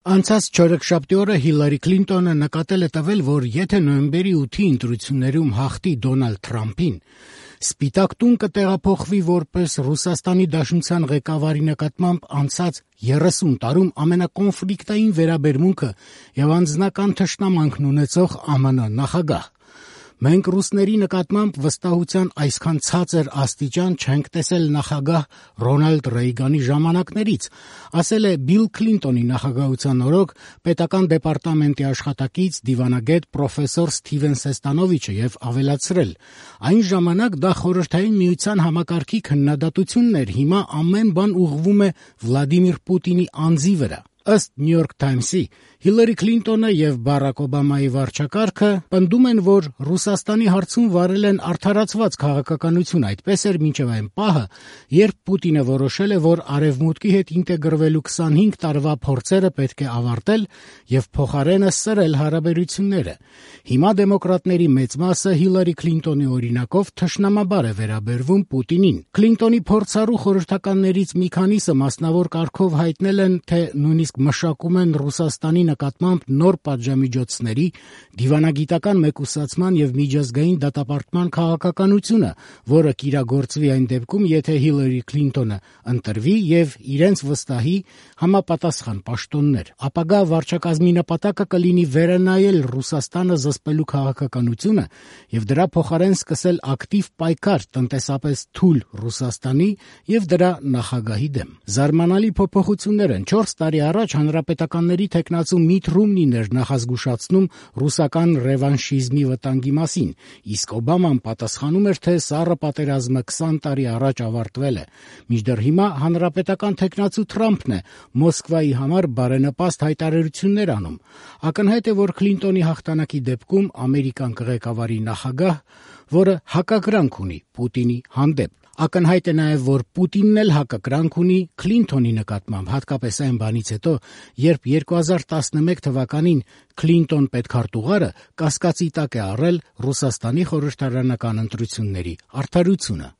Անցած չորեքշաբթի օրը Հիլարի Քլինտոնը նկատել է տվել, որ եթե նոյեմբերի 8-ի ընտրություններում հաղթի Դոնալդ Թրամփին, Սպիտակ տուն կտեղափոխվի որպես Ռուսաստանի Դաշնության ղեկավարի նկատմամբ անցած 30 տարում ամենակոնֆլիկտային վերաբերմունքը եւ անձնական թշնամանքն ունեցող ԱՄՆ նախագահ։ Մենք ռուսների նկատմամբ վստահության այսքան ցածր աստիճան չենք տեսել նախագահ Ռոնալդ Ռեյգանի ժամանակներից, ասել է Բիլ Քլինտոնի նախագահության օրոք պետական դեպարտամենտի աշխատակից դիվանագետ պրոֆեսոր Սթիվեն Սեստանովիչը եւ ավելացրել. այն ժամանակ դա Խորհրդային Միության համակարգի քննադատությունն էր, հիմա ամեն բան ուղղվում է Վլադիմիր Պուտինի անձի վրա։ Ըստ New York Times-ի, Հիլարի Քլինտոնը եւ Բարաք Օբամայի վարչակարգը պնդում են, որ Ռուսաստանի հարցում վարել են արդարացված քաղաքականություն, այդպես էր մինչև այն պահը, երբ Պուտինը որոշել է, որ Արևմուտքի հետ ինտեգրվելու 25 տարվա փորձերը պետք է ավարտել եւ փոխարենը սրել հարաբերությունները։ Հիմա դեմոկրատների մեծ մասը Հիլարի Քլինտոնի օրինակով թշնամաբար է վերաբերվում Պուտինին։ Քլինտոնի փորձառու խորհրդականներից մի քանիսը մասնավոր կարգով հայտնել են, թե նույնիսկ մշակում են Ռուսաստանի նկատմամբ նոր պատժամիջոցների, դիվանագիտական մեկուսացման եւ միջազգային դատապարտման քաղաքականությունը, որը կիրագործվի այն դեպքում, եթե Հիլարի Քլինտոնը ընտրվի եւ իրենց վստահի համապատասխան պաշտոններ։ Ապագա վարչակազմի նպատակը կլինի վերանայել Ռուսաստանը զսպելու քաղաքականությունը եւ դրա փոխարեն սկսել ակտիվ պայքար տնտեսապես թույլ Ռուսաստանի եւ դրա նախագահի դեմ։ Զարմանալի փոփոխություններ են 4 տարի առաջ հանրապետականների թեկնածու Միթ Ռոմնին էր նախազգուշացնում ռուսական ռևանշիզմի վտանգի մասին, իսկ Օբաման պատասխանում էր, թե սառը պատերազմը 20 տարի առաջ ավարտվել է։ Մինչդեռ հիմա հանրապետական թեկնածու Թրամփն է Մոսկվայի համար բարենպաստ հայտարարություններ անում։ Ակնհայտ է, որ Քլինտոնի հաղթանակի դեպքում Ամերիկան կղեկավարի նախագահ, որը հակակրանք ունի Պուտինի հանդեպ։ Ակնհայտ է նաև, որ Պուտինն էլ հակակրանք ունի Քլինտոնի նկատմամբ, հատկապես այն բանից հետո, երբ 2011 թվականին Քլինտոն պետքարտուղարը կասկածի տակ է առել Ռուսաստանի խորհրդարանական ընտրությունների արդարությունը։